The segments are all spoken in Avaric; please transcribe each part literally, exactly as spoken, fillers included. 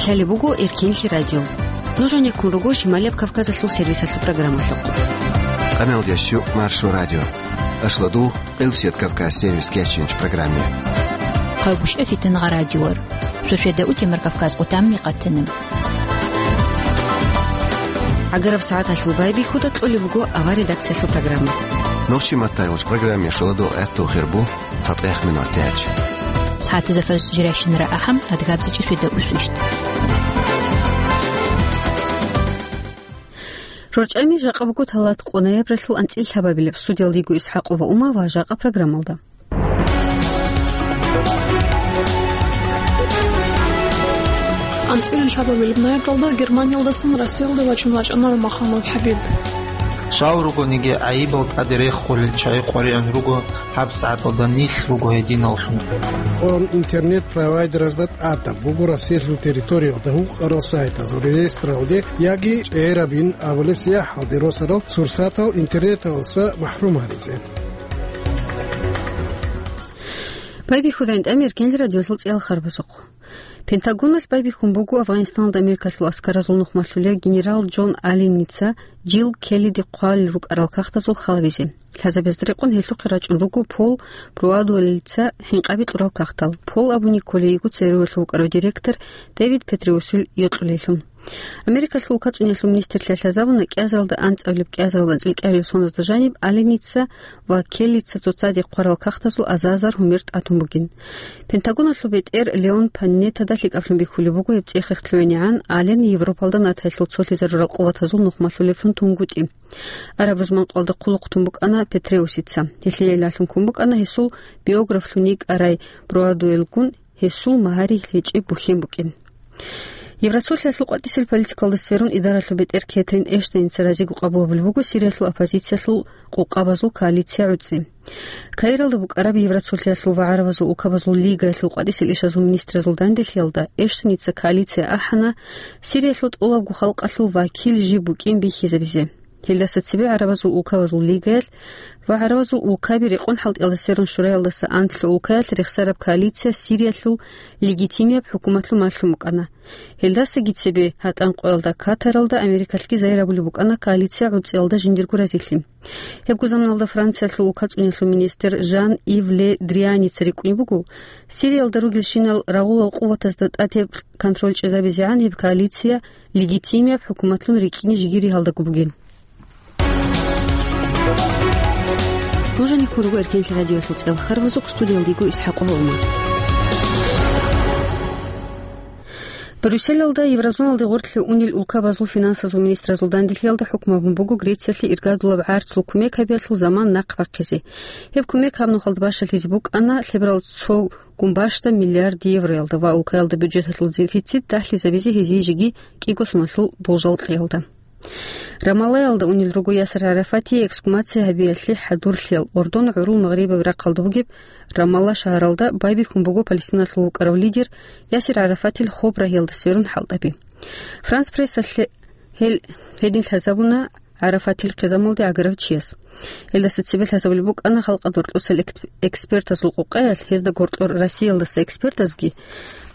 Лъалеб буго Эркенлъи радио. Нуж гьанеккун руго Шималияб Кавказалъул сервисалъул программалъухъ. Къаналдиясчу Маршо радио. Ашладу, Къилсият Кавказ сервис кечинч программе. Къагушев Фитнагъа радиор. Суседа утемар Кавказ къутамни къатанам. ГӀагараб сагӀаталъул байбихьуда кьолеб буго авар редакциялъул программа. Нохчи маттайгъуш программе шоладо гӀатту хирбу. ЦатӀех минутач. СагӀатазда фарз жирайщинара ахӀам, адгабзичӀи светда усвищт. РорчӀами жакъа буго талат къо ноябралъул анцӀил лъабабилеб. Студиялда йиго ИсхӀакъова Ума ва жакъа программалда. АнцӀил лъабабилеб ноябралда Германиялдасан Россиялде вачун вачӀана Махамад ХӀабиб. Щал ругониги гӀайибал тӀаде реххулел чагӀи къваригӀун руго. ГьабсагӀаталда нилъ руго гьединаллъун. Он интернет-провайдеразда тӀадаб буго Россиялъул территориялда гьукъарал сайтазул реестралде яги чӀерабин абулеб сияхӀалде росарал сурсатал интернеталдаса махӀрум гьаризе. Байбихьуда гӀинтӀами Эркенлъи радиолъул цӀиял харбазухъ. Пентагоналъ байбихьун буго Афганистаналда Америкалъул аскаразул нухмалъулев генерал Джон Алленица Джилл Келлиде хъвалел рукӀарал кагътазул халабизе. Лъазабезда рекъон гьелъухъе рачӀун руго Пол Бруадуэллица хӀинкъаби кьурал кагътал. Пол абуни кколей йиго ЦРУ-ялъул вукӀарав директор Дэвид Петреусил йокьулейлъун. Америкалъул улкацӀунялъул министрлъиялъ лъазабуна кӀиазаралда анцӀабилеб, кӀиазаралда анцӀил кӀиабилеб соналда жаниб Алленица ва Келлица цоцаде хъварал кагътазул азар-азар гьумер тӀатун бугин. Пентагоналъул бетӀер Леон Панеттада лъикӀаблъун бихьулеб буго гьеб цӀех-рехс лъугӀинегӀан Аллен Европалда НАТОялъул цолъизарурал къуватазул нухмалъулевлъун тунгутӀи. Араб рузман къоялда хъулухъ тун букӀана Петреусица. Гьелъие гӀиллалъун ккун букӀана гьесул биографлъун йикӀарай Бруадуэллгун гьесул магьари гьечӀеб бухьен букӀин. Евроцолъиялъул къватӀисел политикалда сверун идаралъул бетӀер Кетрин Эштеница разиго къабулабулеб буго Сириялъул оппозициялъул къокъабазул коалиция гӀуцӀи. Каиралда букӀараб Евроцолъиялъул ва гӀарабазул улкабазул лигаялъул къватӀисел ишазул министразул данделъиялда Эштеница коалиция ахӀана Сириялъул тӀолабго халкъалъул вакил жиб букӀин бихьизабизе. Гьелдаса цебе гӀарабазул улкабазул лигаялъ ва гӀарабазул улкаби рекъон хӀалтӀиялда сверун шураялдаса анлъго улкаялъ рехсараб коалиция Сириялъул легитимияб хӀукуматлъун малъун букӀана. Гьелдасаги цебе гьатӀан къоялда Катаралда Америкалъги загьир абулеб букӀана коалиция гӀуцӀиялда жиндирго разилъи. Гьебго заманалда Франциялъул улкацӀунялъул министр Жан-Ив Ле Дрианица рикӀкӀунеб буго, Сириялда ругелщинал рагъулал къуватазда тӀатеб контроль чӀезабизегӀан гьеб коалиция легитимияб хӀукуматлъун рикӀкӀине жиги ригьалдаго бугин. Нуж гьанеккун руго Эркенлъи радиоялъул цӀел харбазухъ, студиялда йиго ИсхӀакъова Ума. Брюсселалда еврозоналде гъоркье унел улкабазул финансазул министразул данделъиялда хӀукму гьабун буго Грециялъе иргадулаб гӀарцул кумек гьабиялъул заман нахъ бахъизе. Гьеб кумек гьаб нухалда бащалъизе букӀана лъеберал цо гумбашда миллиард евроялда ва улкаялда бюджеталъул дефицит дагьлъизабизе гьезие жеги кӀиго соналъул болжал кьеялда. Рамаллаялда унел руго Ясир ГӀарафатие эксгумация гьабиялъе хӀадурлъиял. Ордон гӀурул Магърибаб рахъалда бугеб Рамалла шагьаралда байбихьун буго Палестиналъул вукӀарав лидер Ясир ГӀарафатил хоб рагьиялда сверун хӀалтӀаби. Франс прессалъе гьел гьедин лъазабуна ГӀарафатил хъизамалде гӀагарав чияс. Гьелдаса цебе лъазабулеб букӀана халкъалда гьоркьосел экт-, экспертазул къокъаялъ, гьезда гьоркьор Россиялдаса экспертазги.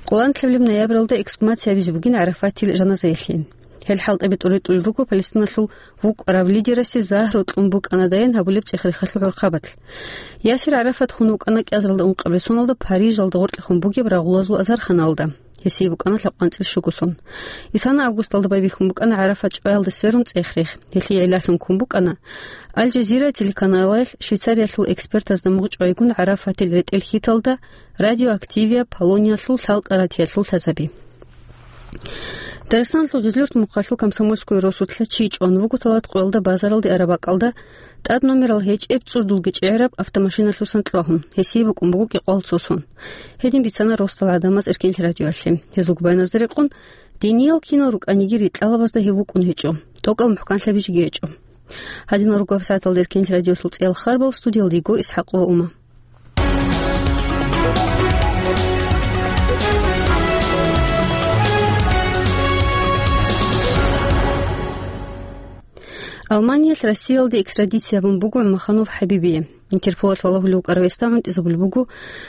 Къоланлъабилеб ноябралда эксгумация гьабизе бугин ГӀарафатил жаназаялъе. Гьел хӀалтӀаби тӀуритӀулел руго Палестиналъул вукӀарав лидерасе загьру кьун букӀанадайин гьабулеб цӀех-рехалъул гӀурхъабалъ. Ясир ГӀарафат хун вукӀана кӀиазаралда ункъабилеб соналда Парижалда гъоркьехун бугеб рагъулазул азарханалда. Гьесие букӀана лъабкъанцӀил щуго сон. Исана августалда байбихьун букӀана ГӀарафат чӀваялда сверун цӀех-рех. Гьелъие гӀиллалъун ккун букӀана Аль-Жазира телеканалалъ Швейцариялъул экспертазда мугъ чӀвайгун ГӀарафатил ретӀел хьиталда радиоактивияб полониялъул лъалкӀа ратиялъул лъазаби. Дагъистаналъул Гъизлюрт мухъалъул Комсомольское росулъа чи чӀван вуго талат къоялда базаралде араб бакӀалда тӀад номерал гьечӀеб цӀудулги чӀегӀераб автомашиналъусан кьвагьун, гьесие букӀун буго кӀикъоял цо сон. Гьедин бицана росдал гӀадамаз Эркенлъи радиоялъе. Гьезул губайназда рекъон, диниял кинал рукӀаниги ритӀалабазда гьев вукӀун гьечӀо, тӀокӀал мухӀканлъаби жеги гьечӀо. Гьадинал руго гьабсагӀаталда Эркенлъи радиоялъул цӀиял харбал, студиялда йиго ИсхӀакъова Ума. Алманиялъ Россиялде экстрадиция гьабун буго ГӀумаханов ХӀабибие. Интерполалъ валагьулев вукӀарав гьесда гӀунтӀизабулеб буго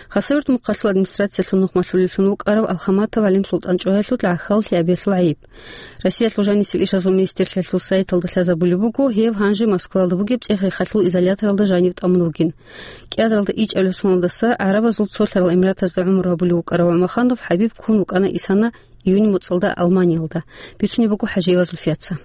Хасавюрт мухъалъул администрациялъул нухмалъулевлъун вукӀарав Алхаматов ГӀалим Султан чӀваялъул гӀахьаллъи абиялъул гӀайиб. Россиялъул жанисел ишазул министрлъиялъул сайталда лъазабулеб буго, гьев гьанже Москваялда бугеб цӀех-рехалъул изоляторалда жанив тӀамун вугин. КӀиазаралда ичӀабилеб соналдаса ГӀарабазул Цолъарал Эмиратазда гӀумру гьабулев вукӀарав ГӀумаханов ХӀабиб ккун вукӀана Исана июнь муцӀалда Алманиялда, бицунеб буго ХӀажиевазул Фиаца.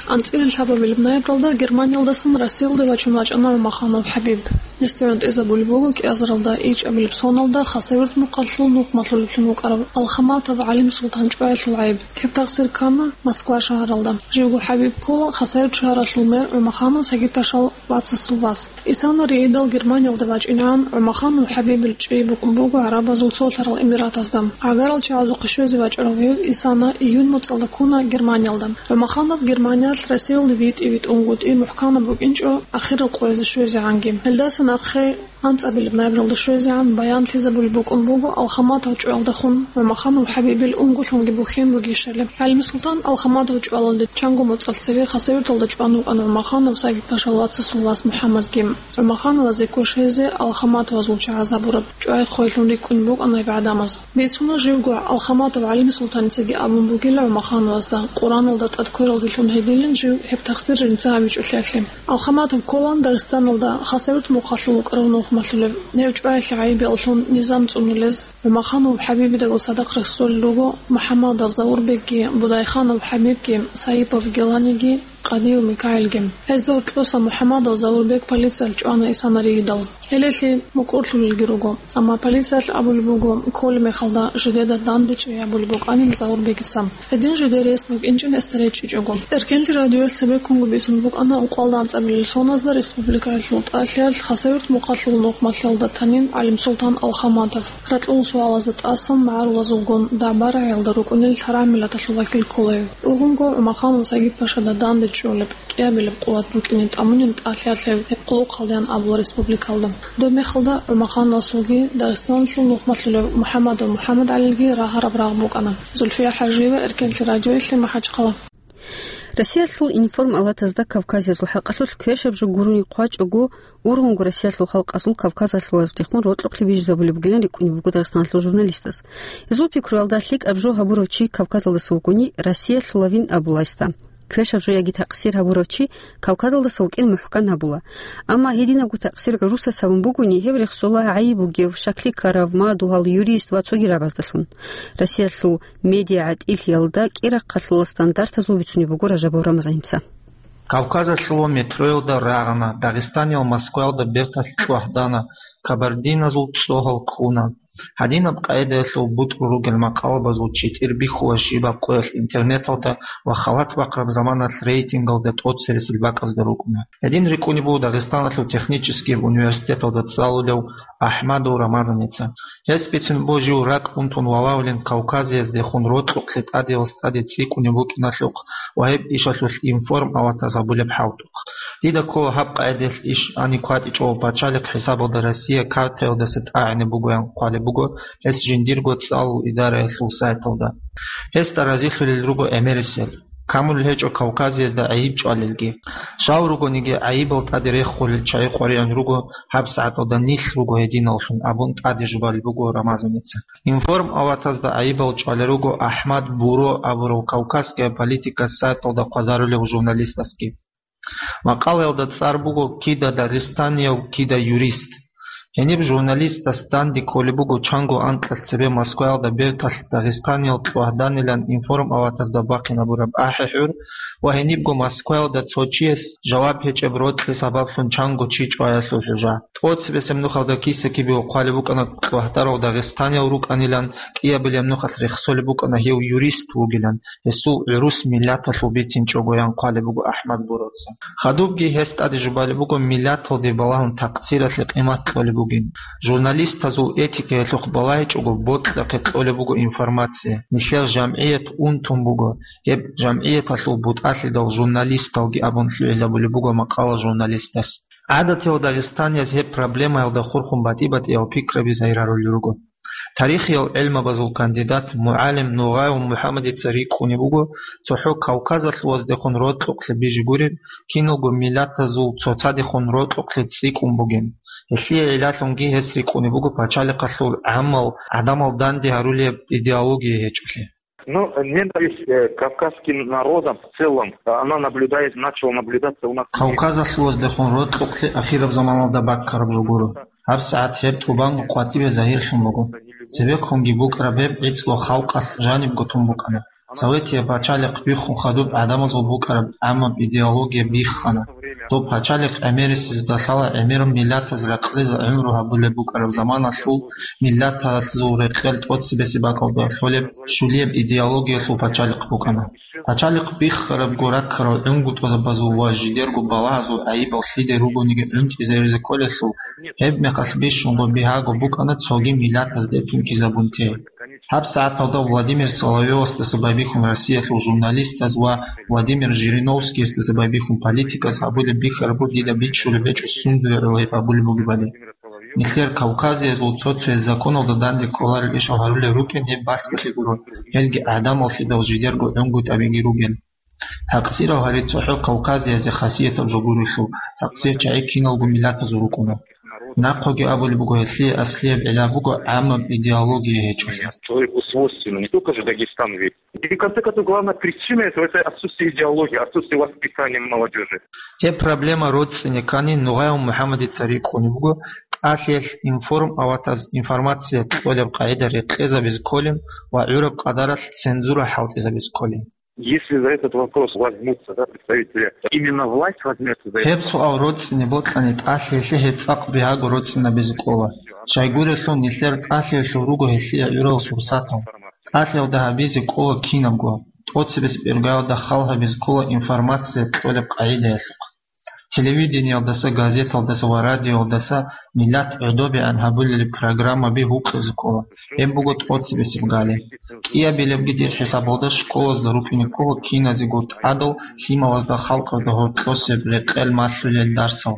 АнцӀила лъабабилеб ноябралда Германиялдасан Россиялде вачун вачӀана ГӀумаханов ХӀабиб. Гьесда гӀунтӀизабулеб буго кӀиазаралда ичӀабилеб соналда Хасавюрт мухъалъул нухмалъулевлъун вукӀарав Алхаматов ГӀалим Султан чӀваялъул гӀайиб. Гьеб тахсир ккана Москва шагьаралда. Живго ХӀабиб ккола Хасавюрт шагьаралъул мэр ГӀумаханов Сагид-пашал вацасул вас. Исана ригьидал Германиялда вачӀинегӀан, ГӀумаханов ХӀабибил чӀей букӀун буго ГӀарабазул Цолъарал Эмиратазда. ГӀагарал чагӀазухъе щвезе вачӀарав гьев Исана июнь муцӀалда ккуна Германиялда. ГӀумаханов Германиялъ Россиялде витӀи-витӀунгутӀи мухӀканаб букӀинчӀо ахирал къоязе щвезегӀанги. Гьелдаса нахъе анцӀабилеб ноябралда щвезегӀан баянлъизабулеб букӀун буго Алхаматов чӀваялдехун ГӀумаханов ХӀабибил унголъунги бухьен бугищали. ГӀалимсултан Алхаматов чӀвалалде чанго моцӀалъ цеве Хасавюрталда чӀван вукӀана ГӀумаханов Сагид-пашал вацасул вас МухӀаммадги. ГӀумахановазе квеш гьезе Алхаматовазул чагӀаз гьабураб чӀвай-хъвайлъун рикӀкӀунеб букӀана гьеб гӀадамаз. Бицуна живго Алхаматов ГӀалимсултаница абун бугила ГӀумахановазда, Къураналда тӀад квералдилъун гьедилин жив гьеб тахсир жинца гьабичӀолъиялъе. Алхаматов кколаан Дагъистаналда Хасавюрт мухъалъул вукӀарав нухмалъулев. Гьев чӀваялъе гӀайиб-ялъун низам цӀунулез ГӀумаханов ХӀабибидагун цадахъ рехсолел руго МухӀаммадов Заурбекги, Будайханов ХӀабибги, Саипов Геланиги, Къадиев Микаилги. Гьезда гьоркьоса МухӀаммадов Заурбек полициялъ чӀвана Исана ригьидал. Гьелелъи мукӀурлъулелги руго. Амма полициялъ абулеб буго, кколеб мехалда жидеда данде чӀей абулеб букӀанин Заурбегица. Гьедин жидер рес букӀинчӀин гьесда речӀчӀичӀого. Эркенлъи радиоялъ цебеккунго бицун букӀана ункъоялда анцӀабилел соназда республикаялъул тӀалъиялъ Хасавюрт мухъалъул нухмалъиялда танин ГӀалимсултан Алхаматов. Ракьул суалазда тӀасан магӀарулазулгун дагӀба-рагӀиялда рукӀунел лъарагӀмиллаталъул вакил ккола гьев. Ургъунго ГӀумаханов Сагид-пашада данде чӀолеб кӀиабилеб къуват букӀине тӀамунин тӀалъиялъ гьеб хъулухъалдеян абула республикалда. Доб мехалда ГӀумахановасулги Дагъистаналъул нухмалъулев МухӀаммадов МухӀаммадгӀалилги рагьараб рагъ букӀана. Зульфия ХӀажиева, Эркенлъи радиоялъе, МахӀачхъала. Россиялъул информ-палатазда Кавказиязул хӀакъалъулъ квешаб жо гурони хъвачӀого, ургъунго Россиялъул халкъазул Кавказалъулаздехун рокьухълъи бижизабулеб бугилан рикӀкӀунеб буго Дагъистаналъул журналистаз. Гьезул пикруялда, лъикӀаб жо гьабурав чи Кавказалдаса вукӀуни, Россиялъулавин абула гьесда. Квешаб жо яги такъсир гьабурав чи Кавказалдаса вукӀин мухӀкан гьабула. Амма гьединабго такъсир гӀурусас гьабун бугони, гьев рехсола гӀайиб бугев, шакли ккарав, мадугьал, юрист ва цоги рагӀабаздалъун. Россиялъул медиагӀатӀилъиялда кӀирахъалъула стандартазул бицунеб буго Ражабов Рамазаница. Кавказалъула метроялда рагъана, Дагъистаниял Москваялда берталъ кьвагьдана, кабардиназул цӀогьал ккуна. Гьадинаб къагӀидаялъул бутӀрул ругел макъалабазул читӀир бихьула щибаб къоялъ интернеталда ва халат бахъараб заманалъ рейтингалда тӀоцересел бакӀазда рукӀуна. Гьедин рикӀкӀунеб буго Дагъистаналъул технический университеталда цӀалулев АхӀмадов Рамазаница. Гьес бицун буго жив ракӀ унтун валавулин Кавказияздехун рокьухълъи тӀадегӀанас тӀаде цӀикӀкӀунеб букӀиналъухъ ва гьеб ишалъулъ информ-палатаз гьабулеб хӀалтӀухъ. Дида ккола гьаб къагӀидаялъ иш гьаниб кватӀичӀого пачалихъ хӀисабалда Россия картаялдаса тӀагӀинаб бугоян хъвалеб буго гьес жиндирго цӀалул идараялъул сайталда. Гьесда разилъулел руго гӀемерисел, камулел гьечӀо Кавказиязда гӀайиб чӀвалелги. Щал ругониги, гӀайибал тӀаде реххулел чагӀи къваригӀун руго, гьабсагӀаталда нилъ руго гьединаллъун абун тӀаде жубалеб буго Рамазаница. Информ-палатазда гӀайибал чӀвалел руго АхӀмад Буро абурав Кавказ геополитика сайталда хъвадарулев журналистасги. Макъалаялда цӀар буго: «Кида дагъистанияв, кида юрист». Гьениб журналистас данде кколеб буго чанго анкьалъ цебе Москваялда берталъ Дагъистаниял кьвагьданилан информ-палатазда бахъинабураб ахӀи-хӀур ва гьенибго Москваялда цо чияс жаваб гьечӀеб рокьи сабаблъун чанго чи чӀваялъул хӀужа. ТӀоцебесеб нухалда киса-кибего хъвалеб букӀана кьвагьдарав дагъистанияв рукӀанилан, кӀиабилеб нухалъ рехсолеб букӀана гьев юрист вугилан, гьесул гӀурус миллаталъул бицинчӀогоян хъвалеб буго АхӀмад Буроца. Хадубги гьес тӀаде жубалеб буго миллаталде балагьун такъсиралъе къимат кьолеб бугин. Журналистазул этикаялъухъ балагьичӀого бокьахъе кьолеб буго информация, нилъер жамгӀият унтун буго, гьеб жамгӀияталъул бутӀалъидал журналисталги абун лъугӀизабулеб буго макъала журналистас. ГӀадатиял дагъистанияз гьеб проблемаялда хурхун батӀи-батӀиял пикраби загьирарулел руго. Тарихиял гӀелмабазул кандидат, мугӀалим Нугъаев МухӀаммадица рикӀкӀунеб буго, цохӀо Кавказалъуваздехун рокьукълъи бижи гуреб, киналго миллатазул цоцадехун рокьукълъи цӀикӀкӀун бугин. Гьелъие гӀиллалъунги гьес рикӀкӀунеб буго пачалихъалъул гӀаммал гӀадамал данде гьарулеб идеология гьечӀолъи. Ну, ненависть, э, к кавказским народам в целом, она наблюдается, начала наблюдаться у нас. Кавказалъуваздехун рокьукълъи ахираб заманалда баккараб жо гуро. ГьабсагӀат гьеб тӀубанго къватӀибе загьирлъун буго. Цебеккунги букӀараб гьеб гӀицӀго халкъалъ жанибго тун букӀана. Советияб пачалихъ биххун хадуб гӀадамазул букӀараб гӀаммаб идеология биххана. Доб пачалихъ гӀемерисезда лъала гӀемерун миллатаз ракълизе гӀумру гьабулеб букӀараб заманалъул миллатазул рекъел тӀоцебесеб бакӀалда лъолеб щулияб идеологиялъул пачалихъ букӀана. Пачалихъ биххарабго раккарал гӀунгутӀазабазул ва жидерго балагьазул гӀайибал лъиде ругониги гӀунтӀизаризе кколелъул, гьеб мехалъ бищунго бигьаго букӀана цоги миллатазде тункизабун те. ГьабсагӀаталда Владимир Соловьёвасдаса байбихьун Россиялъул журналистаз ва Владимир Жириновскиясдаса байбихьун политиказ гьабулеб бихьарабго дида бичӀчӀулеб гьечӀо сундуе гӀоло гьеб гьабулеб бугебали. Нилъер кавказиязул цо-цояз законалда данде кколарел ишал гьарулел рукӀин гьеб балъголъи гуро, гьелги гӀадамаллъидал жидерго гӀунгутӀабиги ругел. Такъсирал гьари цохӀо Кавказиязе хасиятаб жо гурелъул, такъсир чагӀи киналго миллатазул рукӀуна. Нахъоги абулеб буго, гьелъие аслияб гӀилла буго гӀаммаб идеология гьечӀолъи. Человеку свойственно, не только же Дагестан ведь. И в конце концов, главная причина — это, это отсутствие идеологии, отсутствие воспитания молодежи. Гьеб проблема роцӀцӀине ккани, Нугъаев МухӀаммадица рикӀкӀунеб буго, тӀалъиялъ информ аватаз информация кьолеб къагӀида рекъезабизе кколин ва гӀураб къадаралъ цензура хӀалтӀизабизе кколин. Если за этот вопрос возьмутся, да, представители, именно власть возьмётся за это. Гьеб суал роцӀцӀине бокьани, тӀалъиялъе гьеб цӀакъ бигьаго роцӀцӀинабизе ккола. Щайгурелъул нилъер тӀалъиялъул руго гьелъие гӀурал сурсатал. ТӀалъиялда гьабизе ккола кинабго, тӀоцебесеб иргаялда хал гьабизе ккола информация кьолеб къагӀидаялъухъ. Телевидениялдаса, газеталдаса ва радиоялдаса миллат гӀодобегӀан гьабулелеб программаби гьукъизе ккола, гьеб буго тӀоцебесеб гали. КӀиабилебги дир хӀисабалда школазда рукӀине ккола киназего тӀадал лъималазда халкъазда гьоркьосеб рекъел малъулел дарсал.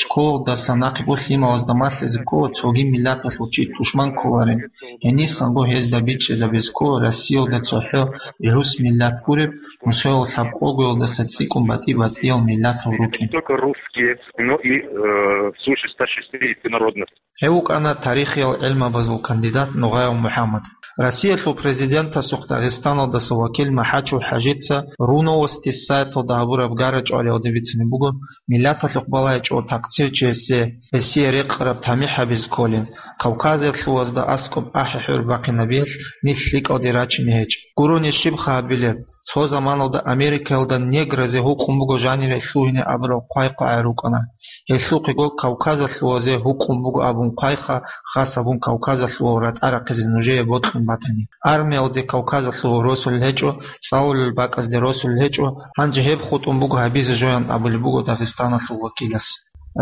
Школалдаса нахъего лъималазда малъизе ккола цоги миллаталъул чи тушман кколарин, гьенисанго гьезда бичӀчӀизабизе ккола Россиялда цохӀо гӀурус миллат гуреб, Мусоял лъабкъогоялдаса цӀикӀкӀун батӀи-батӀиял миллатал рукӀин. Не только русские, но и, э, свыше ста шестидесяти народностей. Гьев вукӀана тарихиял гӀилмабазул кандидат Нугъаев МухӀаммад. Россиялъул президентасухъ Дагъистаналдаса вакил МахӀачев ХӀажица РУ Новости сайталда гьабураб гара-чӀвалиялде бицунеб буго, миллаталъухъ балагьичӀого такъсирчиясе гьесие рекъараб тамихӀ гьабизе кколин, Кавказалъувазда аскӀоб ахӀи-хӀур бахъинабиялъ нилъ лъикӀалде рачине гьечӀ. Гурони щибха гьабилеб? Цо заманалда Америкаялда негразе гьукъун буго жанире лъугьине абурал хъвай-хъвагӀай рукӀана. Гьелъухъего Кавказалъувазе гьукъун буго абун хъвайха, хас абун Кавказалъувал ратӀа рахъизе нужее бокьун батани. Армиялде Кавказалъувал росулел гьечӀо, цӀалулел бакӀазде росулел гьечӀо, гьанже гьеб хутӀун буго гьабизе жоян абулеб буго Дагъистаналъул вакилас.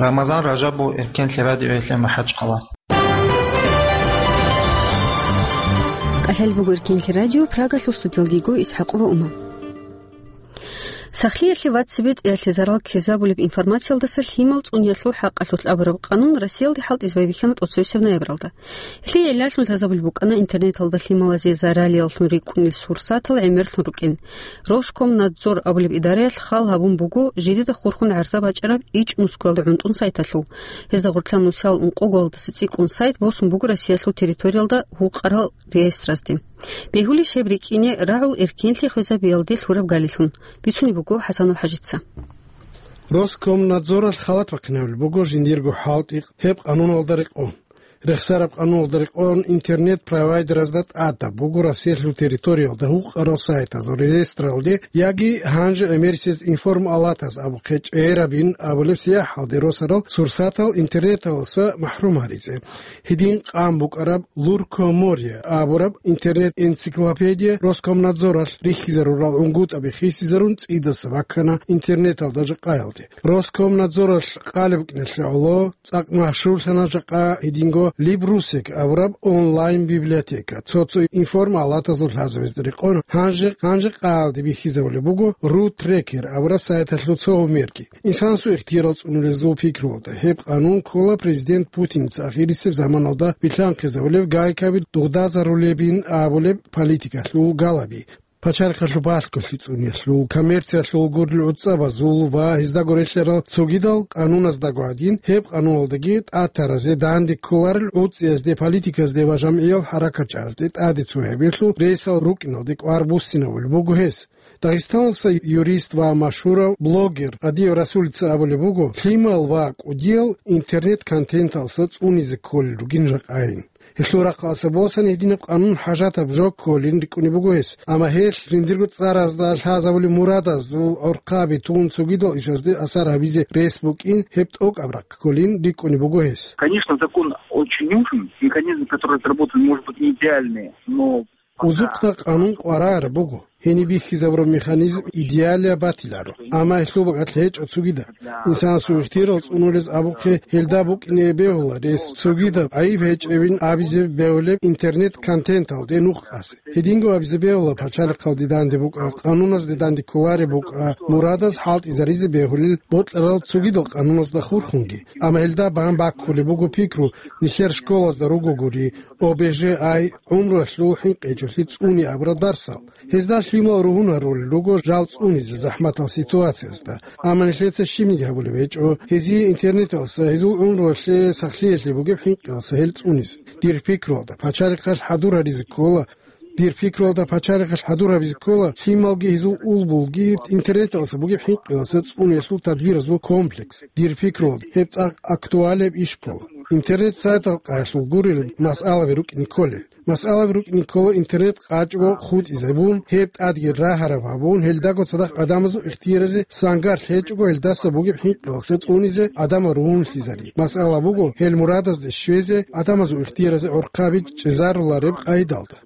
Рамазан Ражабов, Эркенлъи радиоялъе МахӀачхъала. КӀалъалеб буго Эркенлъи радио, Прагалъул студиялда йиго ИсхӀакъова Ума. Сахлъиялъе ва цебетӀеялъе зарал ккезабулеб информациялдаса лъимал цӀуниялъул хӀакъалъулъ абураб къанун Россиялде хӀалтӀизе байбихьана тӀоцебесеб ноябралда. Гьелъие гӀиллалъун лъазабулеб букӀана интернеталда лъималазе заралияллъун рикӀкӀунел сурсатал гӀемерлъун рукӀин. Роскомнадзор абулеб идараялъ хал гьабун буго жидеда хурхун гӀарза бачӀараб ичӀнускоялда гӀунтӀун сайталъул. Гьезда гъорлъа нусал ункъоголдаса цӀикӀкӀун сайт босун буго Россиялъул территориялда гьукъарал реестралъе. Бегьулищ гьеб рикӀкӀине рагӀул эркенлъи хвезабиялде лъураб галилъун? Бицунеб буго ХӀасанов ХӀажица. Роскомнадзоралъ халат бахъинабулеб буго жиндирго хӀалтӀи гьеб къануналда рекъон. Рехсараб къануналда рекъон интернет-провайдеразда тӀадаб буго Россиялъул территориялда гьукъарал сайтазул реестралде яги гьанже гӀемерисез информалатаз абухъе чӀерабин абулеб сияхӀалде росарал сурсатал интернеталдаса махӀрум гьаризе. Гьедин къан букӀараб Луркоморье абураб интернет-энциклопедия Роскомнадзоралъ рихьизарурал гӀунгутӀаби хисизарун цӀидаса баккана интернеталда жакъаялде. Роскомнадзоралъ къалеб букӀиналъе гӀоло цӀакъ машгьурлъана жакъа гьединго Либрусек абураб онлайн-библиотека, цо-цо информалатазул лъазабизе рекъон, гьанже, гьанже къаялде бихьизабулеб буго Ру Трекер абураб сайталъул цо гьумерги. Инсанасул ихтиярал цӀунулезул пикруялда, гьеб къанун ккола президент Путинца ахирисеб заманалда билълъанхъизабулеб гайкаби дугъдазарулебин абулеб политикалъул галаби. Пачалихъалъул балъголъи цӀуниялъул, коммерциялъул гурил гӀуцӀабазул ва гьездаго релълъарал цогидал къануназдаго гӀадин, гьеб къануналдаги тӀатаразе данде кколарел гӀуцӀиязде, политиказде ва жамгӀиял хӀаракатчагӀазде тӀаде цо гьабиялъул рейсал рукӀиналде кӀвар буссинабулеб буго гьес. Дагъистаналдаса юрист ва машгьурав блогер Адиев Расулица абулеб буго, лъимал ва кӀудиял интернет-контенталдаса цӀунизе кколел ругин ракӀайин. Гьелъул рахъалъа босани гьединаб къанун хӀажатаб жо кколин рикӀкӀунеб буго гьес, амма гьелъ жиндирго цӀаразда лъазабулеб мурадазул гӀорхъаби тун цогидал ишазде асар гьабизе рес букӀин гьеб тӀокӀаб рахъ кколин рикӀкӀунеб буго гьес. Конечно, закон очень нужен, механизм, который разработан, может быть, не идеальный, но Узухъда къанун къваригӀараб буго. Гьениб бихьизабураб механизм идеалияб батиларо, амма гьелъул бакӀалъ гьечӀо цогидаб. Инсанасул ихтиярал цӀунулез абухъе гьелда букӀине бегьула рес цогидаб гӀайиб гьечӀебин абизе бегьулеб интернет-контенталде нух къазе. Гьединго абизе бегьула пачалихъалде данде букӀа, къануназде данде кколареб букӀа, мурадаз хӀалтӀизаризе бегьулел бокьарал цогидал къануназда хурхунги. Амма гьелда бан баккулеб буго пикру, нилъер школазда ругогури, О Б Ж А, гӀумруялъул хӀинкъичӀолъи цӀуни абурал дарсал. Гьезда лъимал ругьун гьарулел руго жал цӀунизе захӀматал ситуациязда. Амма нилъеца щибниги гьабулеб гьечӀо, гьезие интернеталдаса гьезул гӀумруялъе сахлъиялъе бугеб хӀинкъиялдаса гьел цӀунизе. Дир пикруялда, пачалихъалъ хӀадур гьаризе ккола, дир пикруялда, пачалихъалъ хӀадур гьабизе ккола, лъималги гьезул улбулги интернеталдаса бугеб хӀинкъиялдаса цӀуниялъул тадбиразул комплекс. Дир пикруялда, гьеб цӀакъ актуалияб иш ккола. Интернет-сайтал къаялъул гурел масъалаби рукӀине кколел. Масъалаби рукӀине ккола интернет къачӀого хутӀизабун, гьеб тӀадги рагьараб гьабун, гьелдаго цадахъ гӀадамазул ихтияразе сангар лъечӀого гьелдаса бугеб хӀинкъиялдаса цӀунизе гӀадамал ругьунлъизари. Масъала буго, гьел мурадазде щвезе гӀадамазул ихтияразе гӀорхъаби чӀезарулареб къайдалда.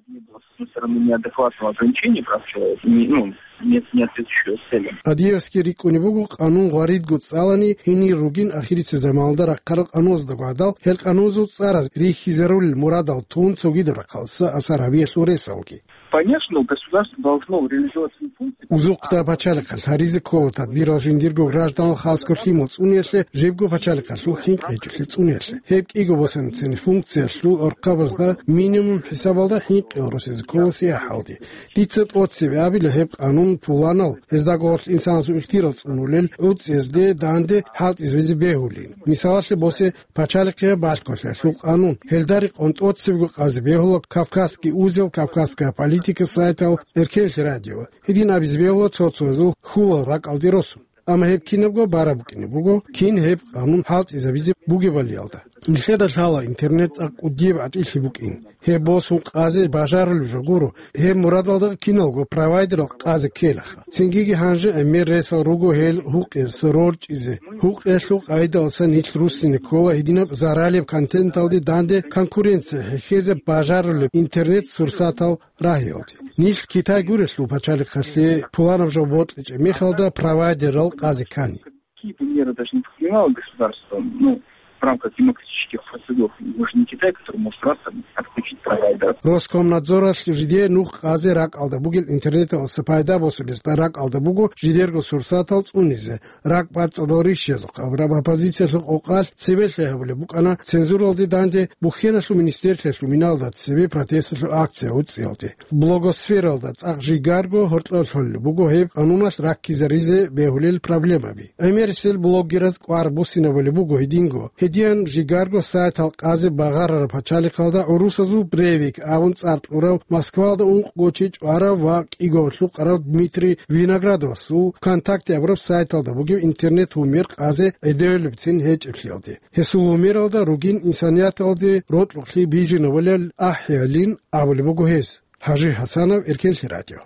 Всё равно неадекватного ограничения прав человека, не, ну, нет, не отвечающего целям. Адиевский рикӀкӀунеб буго, къанун гъваридго цӀалани, гьенир ругин ахирисеб заманалда рахъарал къануназдаго гӀадал, гьел къануназул цӀараз рихьизарулел мурадал тун цогидаб рахъалдаса асар гьабиялъул ресалги. Конечно, государство должно реализовать свои функции. Узухъда пачалихъалъ гьаризе ккола тадбирал жиндирго гражданал, хасго лъимал цӀуниялъе, жибго пачалихъалъул хӀинкъичӀолъи цӀуниялъе. Гьеб кӀиго босанцин функциялъул гӀорхъабазда минимум хӀисабалда хӀинкъи гьоросизе ккола сияхӀалде. Дица тӀоцебе абила гьеб къанун пуланал, гьездаго гьорлъ инсанасул ихтирал цӀунулел гӀуцӀиязде данде хӀалтӀизабизе бегьулин. Мисалалъе босе пачалихъияб балъголъиялъул къанун. Гьелда рекъон тӀоцебего къазе бегьула Кавказский узел, Кавказская политика сайтал, Эркенлъи радио. Гьедин абизе бегьула цо-цоязул хьулал ракӀалде росун. Амма гьеб кинабго бараб букӀине буго, кин гьеб къанун хӀалтӀизабизе бугебалиялда. Нилъеда лъала интернет цӀакъ кӀудияб гӀатӀилъи букӀин. Гьеб босун къазе бажарулеб жо гуро, гьеб мурадалда киналго провайдерал къазе ккелаха. Цингиги гьанже гӀемер ресал руго гьел гьукъиялъ рорчӀизе. Гьукъиялъул къайдалъа нилъ руссине ккола гьединаб заралияб контенталде данде конкуренция хӀехьезе бажарулеб интернет-сурсатал рагьиялде. Нилъ Китай гурелъул пачалихъалъе пуланаб жо бокьичӀеб мехалда провайдерал къазе ккани. Какие бы меры даже не принимало государство, ну, в рамках демократических процедур, мы же не Китай, который может раз там отключить провайдер. Роскомнадзоралъ жидее нух къазе ракӀалда бугел интернеталъа пайда босулезда ракӀалда буго жидерго сурсатал цӀунизе, ракӀ бацӀцӀадал рищезухъ абураб оппозициялъул къокъалъ цебе лъай гьабулеб букӀана цензуралде данде, бухьеналъул министерствоялъул миналда цебе протесталъул акция уцӀиялде. Блогосфералда цӀакъ жигарго гьоркьов лъолеб буго гьеб къануналъ раккизаризе бегьулел проблемаби. ГӀемерисел блогераз кӀвар буссинабулеб буго гьединго. Гьедин жигарго сайтал къазе багъарараб пачалихъалда гӀурусазул Брейвик абун цӀар кьурав, Москвалда ункъго чи чӀварав ва кӀиго лъукъарав Дмитрий Виноградовасул ВКонтакте абураб сайталда бугеб интернет-гьумер къазе гӀедевлебцин гьечӀеблъиялде. Гьесул гьумералда ругин инсанияталде рокьукълъи бижинабулел ахӀиялин абулеб буго гьес. Гьажи Гьасанов, Эркенлъи радио.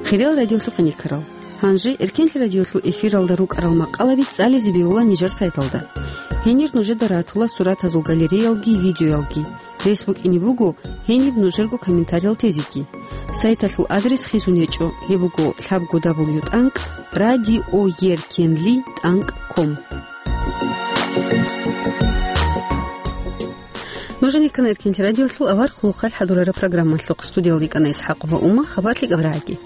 Хириял радиолъухъ никарал. Гьанже Эркенлъи радиолъул эфиралда рукӀарал макъалаби цӀализе бегьула нижер сайталда. Гьенир нужеда ратула суратазул галереялги видеоялги. Рес букӀине буго гьениб нужерго комментариял тезеги. Сайталъул адрес хисун гьечӀо, гьеб буго лъабго дабл ю тӀанкӀ радиоеркенли тӀанкӀ ком. Нуж гьанир ккана Эркенлъи радиолъул авар хъулухъалъ хӀадурараб программалъухъ. Студиялда йикӀана ИсхӀакъова Ума. Хабар лъикӀаб рагӀаги.